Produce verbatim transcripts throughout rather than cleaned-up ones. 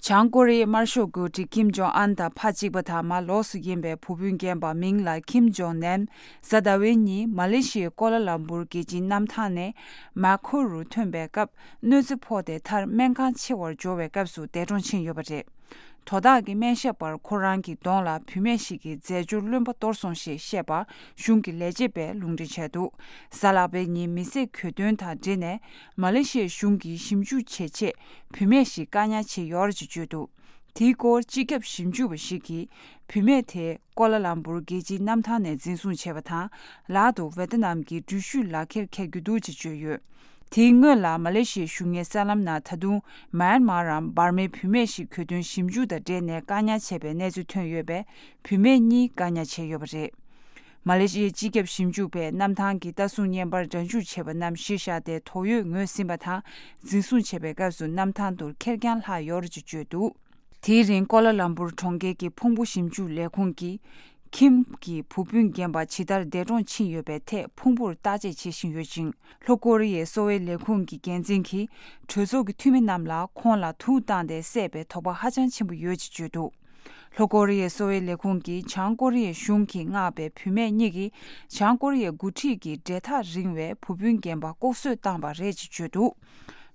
བྱང་ཀོ་རི་ཡའི་དམར་ཤོག་འགོ་ཁྲིད་ཀིམ་ཇོང་ཨན་དང་ཕ་གཅིག་པ་དང་མ་ལོགས་སུ་ཡིན་པའི་བུ་སྤུན་རྒན་པ་མིང་ལ་ཀིམ་ཇོང་ནན། གཟའ་ཟླ་བའི་ཉིན་མ་ལེ་ཤི་ཡའི་ཀོ་ལ་ལམ་པུར་རྒྱལ་སྤྱིའི་གནམ་ཐང་ནས་མཱ་ཁོ་རུ་ཐོན་པའི་སྐབས་གནོད་འཚེ་ཕོག་སྟེ་མཐར་སྨན་ཁང་ཆེ་བར་འབྱོར་བའི་སྐབས་སུ་འདས་གྲོངས་ཕྱིན་ཡོད་པ་རེད། དོ་བདག་གི་སྨན་ཞབས་པར་ཁོ་རང་གི་གདོང་ལ་བུད་མེད་ཞིག་གིས་རྫས་སྦྱོར་རློན་པ་གཏོར་སོང་ཞེས་བཤད་པ་གཞུང་གི་ལས་བྱེད་པས་ལུང་འདྲེན་བྱས་འདུག་གཟའ་ལྷག་པའི་ཉིན་མི་བསད་གྱོད་དོན་དང་འབྲེལ་ནས་མ་ལེ་ཤི་ཡའི་གཞུང་གིས་ཞིབ་འཇུག་བྱེད་ཆེད་བུད་མེད་ཞིག་བཀག་ཉར་བྱས་ཡོད་རེད་ཅེས་བརྗོད་འདུག་དེའི་སྐོར་སྤྱི་ཁྱབ་ཞིབ་འཇུག་པ་ཞིག་གིས་བུད་མེད་དེ་ཀོ་ལ་ལམ་པུར་རྒྱལ་སྤྱིའི་གནམ་ཐང་ནས་འཛིན་བཟུང་བྱས་པ་དང་། ལག་ཏུ་ཝེ་ཏི་ནམ་གྱི་འགྲུལ་བཞུད་ལག་འཁྱེར་འཁྱེར་རྒྱུ་འདུག་ཅེས་བརྗོད་ཡོད། དེའི་སྔོན་ལ་མ་ལེ་ཤི་ཡའི་གཞུང་གཉེར་གསར་ལམ་ནང་ད་དུང་མཱན་མཱར་རམ་འབར་མའི་བུད་མེད་ཞིག་གྱོད་དོན་ཞིབ་འཇུག་དང་འབྲེལ་ནས་བཀག་ཉར་བྱས་པའི་གནས་ཚུལ་ཐོན་ཡོད་པས། བུད་མེད་གཉིས་བཀག་ཉར་བྱས་ཡོད་པ་རེད། མ་ལེ་ཤི་ཡའི་སྤྱི་ཁྱབ་ཞིབ་འཇུག་པས་གནམ་ཐང་གི་ལྟ་སྲུང་བརྙན་པར་སྒྲ་འཇུག་བྱས་པ་རྣམས་གཞི་བཞག་སྟེ་དོགས་ཡོད་ངོས་ཟིན་པ་དང་། འཛིན་བཟུང་བྱས་པའི་སྐབས་སུ་གནམ་ཐང་དུ་ཁེར་རྐྱང་ལྷག་ཡོད་རེད་ཅེས་བརྗོད་འདུག་དེའི་རིང་ཀོ་ལ་ལམ་པུར་གྲོང་ཁྱེར་གྱི་ཕུང་པོ་ཞིབ་འཇུག་ལས་ཁུངས་ཀྱིས། ཁིམ་གྱི་བུ་སྤུན་རྒན་པ་ཇི་ལྟར་འདས་གྲོངས་ཕྱིན་ཡོད་པའི་ཐད་ཕུང་པོར་བརྟག་དཔྱད་བྱེད་བཞིན་ཡོད་ཅིང་། ལྷོ་ཀོ་རི་ཡའི་གསོ་བའི་ལས་ཁུངས་ཀྱི་འགན་འཛིན་གྱིས་གྲོས་ཚོགས་ཀྱི་འཐུས་མི་རྣམས་ལ་ཁོང་ལ་དུག་བཏང་སྟེ་བསད་པའི་དོགས་པ་ཧ་ཅང་ཆེན་པོ་ཡོད་ཅེས་བརྗོད་འདུག་ལྷོ་ཀོ་རི་ཡའི་གསོ་བའི་ལས་ཁུངས་ཀྱིས་བྱང་ཀོ་རི་ཡའི་གཞུང་གིས་མངགས་པའི་བུད་མེད་གཉིས་ཀྱིས་བྱང་ཀོ་རི་ཡའི་འགོ་ཁྲིད་ཀྱི་འབྲེལ་ཐག་རིང་བའི་བུ་སྤུན་རྒན་པ་ལྐོག་གསོད་བཏང་པ་རེད་ཅེས་བརྗོད་འདུག་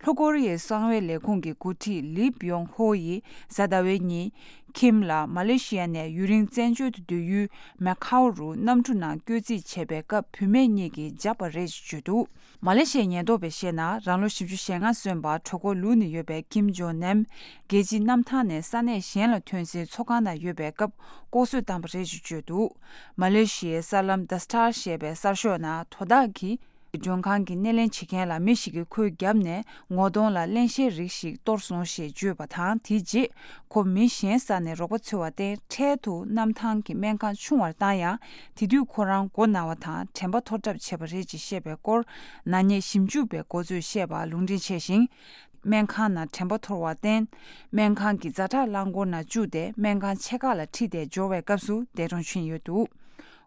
ལྷོ་ཀོ་རི་ཡའི་གསང་བའི་ལས་ཁུངས་ཀྱི་འགོ་ཁྲིད་ལི་བིཡོང་ཧོ་ཡིས་གཟའ་ཟླ་བའི་ཉིན། ཁིམ་ལ་མ་ལེ་ཤི་ཡ་ནས་ཡུན་རིང་བཙན་བྱོལ་དུ་སྡོད་ཡུལ་མེ་ཁའོ་རུ་གནམ་གྲུ་ནང་བསྐྱོད་རྩིས་བྱས་པའི་སྐབས་བུད་མེད་གཉིས་ཀྱིས་བརྒྱབ་པ་རེད་ཅེས་བརྗོད་འདུག་མ་ལེ་ཤི་ཡའི་ཉེན་རྟོག་པས་བཤད་ན། རང་ལོ་བཞི་བཅུ་ཞེ་ལྔ་སོན་པ་གྲོད་ཁོག་ལུས་ནས་ཡོད་པའི་ཀིམ་ཇོང་ནན་རྒྱལ་སྤྱིའི་གནམ་ཐང་ནས་ས་གནས་གཞན་ལ་ཐོན་སའི་ཚོགས་ཁང་ནང་ཡོད་པའི་སྐབས་ལྐོག་གསོད་བཏང་པ་རེད་ཅེས་བརྗོད་འདུག་མ་ལེ་ཤི་ཡའི་གསར་ལམ་The Star ཞེས་པའི་གསར་ཤོག་ནང་དོ་བདག་གིས། མགྲོན་ཁང་གི་སྣེ་ལེན་བྱེད་མཁན་ལ་མི་ཞིག་གིས་ཁོའི་རྒྱབ་ནས་ངོ་གདོང་ལ་རླན་གཤེར་རིགས་ཤིག་གཏོར་སོང་ཞེས་བརྗོད་པ་དང་། དེའི་རྗེས་ཁོ་མི་གཞན་ས་ནས་རོགས་པ་འཚོལ་བར་བརྟེན། འཕྲལ་དུ་གནམ་ཐང་གི་སྨན་ཁང་ཆུང་བར་བཏང་ཡང་། དེ་དུས་ཁོ་རང་མགོ་ན་བ་དང་དྲན་པ་འཐོར་གྲབས་བྱས་པ་རེད་ཅེས་བཤད་པའི་སྐོར། ནག་ཉེས་ཞིབ་འཇུག་པའི་འགོ་གཙོས་བཤད་པ་ལུང་འདྲེན་བྱས་ཤིང་། སྨན་ཁང་ནང་དྲན་པ་འཐོར་བར་བརྟེན། སྨན་ཁང་གི་ཛ་དྲག་རླངས་འཁོར་ནང་བཅུག་སྟེ་སྨན་ཁང་ཕྱེད་ཀ་ལ་ཁྲིད་དེ་འབྱོར་བའི་སྐབས་སུ་འདས་གྲོངས་ཕྱིན་ཡོད་འདུག་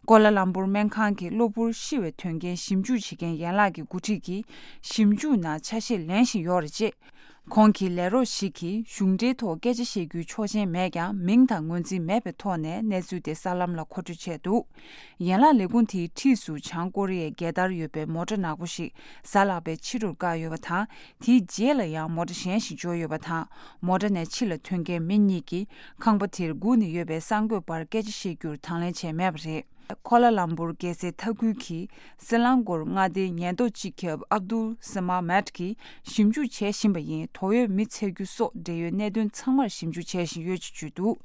ཀོ་ལ་ལམ་པུར་སྨན་ཁང་གི་གློ་བུར་ཤི་བའི་དོན་རྐྱེན་ཞིབ་འཇུག་བྱེད་མཁན་ཡན་ལག་གི་འགོ་ཁྲིད་ཀྱིས་ཞིབ་འཇུག་ནང་ཆ་ཤས་ལེན་བཞིན་ཡོད་རེད་ཅེས། ཁོང་གི་ལས་རོགས་ཤིག་གིས་གཞུང་འབྲེལ་ཐོག་སྐད་ཆ་བཤད་རྒྱུའི་ཆོག་མཆན་མེད་ཀྱང་། མིང་དང་ངོས་འཛིན་མེད་པའི་ཐོག་ནས་གནས་ཚུལ་དེ་གསར་ལམ་ལ་མཁོ་སྤྲོད་བྱས་འདུག་ཡན་ལག་ལས་ཁུངས་དེའི་འཁྲིས་སུ་བྱང་ཀོ་རི་ཡའི་རྒྱལ་དར་ཡོད་པའི་མོ་ཊ་ནག་པོ་ཞིག་གཟའ་ལྷག་པའི་ཕྱི་དྲོར་བཀག་ཡོད་པ་དང་། དེའི་རྗེས་ལ་ཡང་མོ་ཊ་གཞན་ཞིག་འབྱོར་ཡོད་པ་དང་། མོ་ཊ་ནས་ཕྱི་ལ་ཐོན་མཁན་མི་གཉིས་ཀྱིས་ཁང་པ་དེར་སྒུག་ནས་ཡོད་པའི་གསར་འགོད་པར་སྐད་ཆ་བཤད་རྒྱུར་དང་ལེན་བྱས་མེད་པ་རེད། ཁོ་ལ་ལམ་པུར་རྒྱལ་སའི་མཐའ་ཁུལ་གྱི་སྲི་ལང་གོར་མངའ་སྡེའི་ཉེན་རྟོག་སྤྱི་ཁྱབ་ཨབ་དུལ་སི་མ་མེད་ཀྱིས་ཞིབ་འཇུག་བྱེད་བཞིན་པ་ཡིན། དོགས་ཡོད་མི་འཚོལ་རྒྱུ་སོགས་འབྲེལ་ཡོད་གནད་དོན་ཚང་མར་ཞིབ་འཇུག་བྱེད་བཞིན་ཡོད་ཅེས་བརྗོད་འདུག་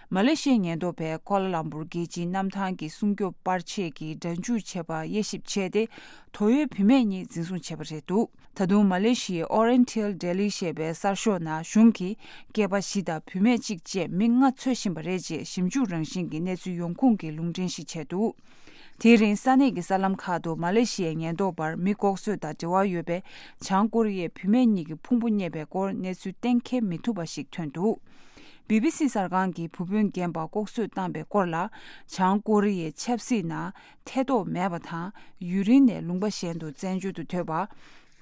མ་ལེ་ཤི་ཡའི་ཉེན་རྟོག་པས་ཀོ་ལ་ལམ་པུར་རྒྱལ་སྤྱིའི་གནམ་ཐང་གི་སྲུང་སྐྱོབ་པར་ཆས་ཀྱི་སྒྲ་འཇུག་བྱས་པ་དབྱེ་ཞིབ་བྱས་ཏེ། དོགས་ཡོད་བུད་མེད་གཉིས་འཛིན་བཟུང་བྱས་པ་རེད་འདུག་ད་དུང་མ་ལེ་ཤི་ཡའི་Oriental Daily ཞེས་པའི་གསར་ཤོག་ནང་གཞུང་གིས་སྐྱེས་པ་བཞི་དང་བུད་མེད་གཅིག་བཅས་མི་ལྔ་འཚོལ་བཞིན་པ་རེད་ཅེས་ཞིབ་འཇུག་རང་བཞིན་གྱི་གནས་ཚུལ་ཡོང་ཁུངས་ཀྱིས་ལུང་འདྲེན་ཞིག་བྱས་འདུག་དེའི་རིང་ས་གནས་ཀྱི་གསར་ལམ་ཁག་ཏུ་མ་ལེ་ཤི་ཡའི་ཉེན་རྟོག་པར་མི་ལྐོག་གསོད་དང་འབྲེལ་བ་ཡོད་པའི་བྱང་ཀོ་རི་ཡའི་བུད་མེད་གཉིས་ཀྱི་ཕུང་པོ་རྙེད་པའི་སྐོར་གནས་ཚུལ་གཏན་འཁེལ་མི་ཐུབ་པ་ཞིག་ཐོན་འདུག་བི་བི་སི་གསར་ཁང་གིས་བུ་སྤུན་རྒན་པ་ལྐོག་གསོད་བཏང་པའི་སྐོར་ལ། བྱང་ཀོ་རི་ཡའི་ཆབ་སྲིད་ནང་ཐེ་གཏོགས་མེད་པ་དང་། ཡུན་རིང་ནས་ལུང་པ་གཞན་དུ་བཙན་བྱོལ་དུ་སྡོད་པ།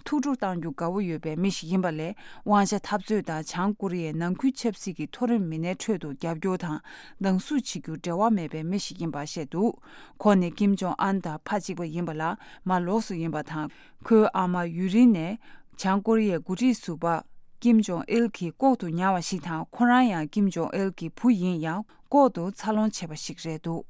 ཐུགས་སྤྲོ་གཏང་རྒྱུ་དགའ་བོ་ཡོད་པའི་མི་ཞིག་ཡིན་པ་ལས། དབང་ཆ་འཐབ་རྩོད་དང་བྱང་ཀོ་རི་ཡའི་ནང་ཁུལ་ཆབ་སྲིད་ཀྱི་མཐོ་རིམ་མི་སྣའི་ཁྲོད་དུ་རྒྱབ་སྐྱོར་དང་སྡང་ཟུག་བྱེད་རྒྱུར་འབྲེལ་བ་མེད་པའི་མི་ཞིག་ཡིན་པ་བཤད་འདུག་ཁོང་ནི་ཀིམ་ཇོང་ཨན་དང་ཕ་གཅིག་པ་ཡིན་པ་ལ་མ་ལོགས་སུ་ཡིན་པ་དང་། ཁོའི་ཨ་མ་ཡུན་རིང་ནས་བྱང་ཀོ་རི་ཡའི་འགོ་ཁྲིད་ཟུར་པ་ཀིམ་ཇོང་ཨིལ་གྱིས་ལྐོག་ཏུ་ཉར་བ་ཞིག་དང་། ཁོ་རང་ཡང་ཀིམ་ཇོང་ཨིལ་གྱི་བུ་ཡིན་ཡང་། ལྐོག་ཏུ་འཚར་ལོངས་བྱས་པ་ཞིག་རེད་འདུག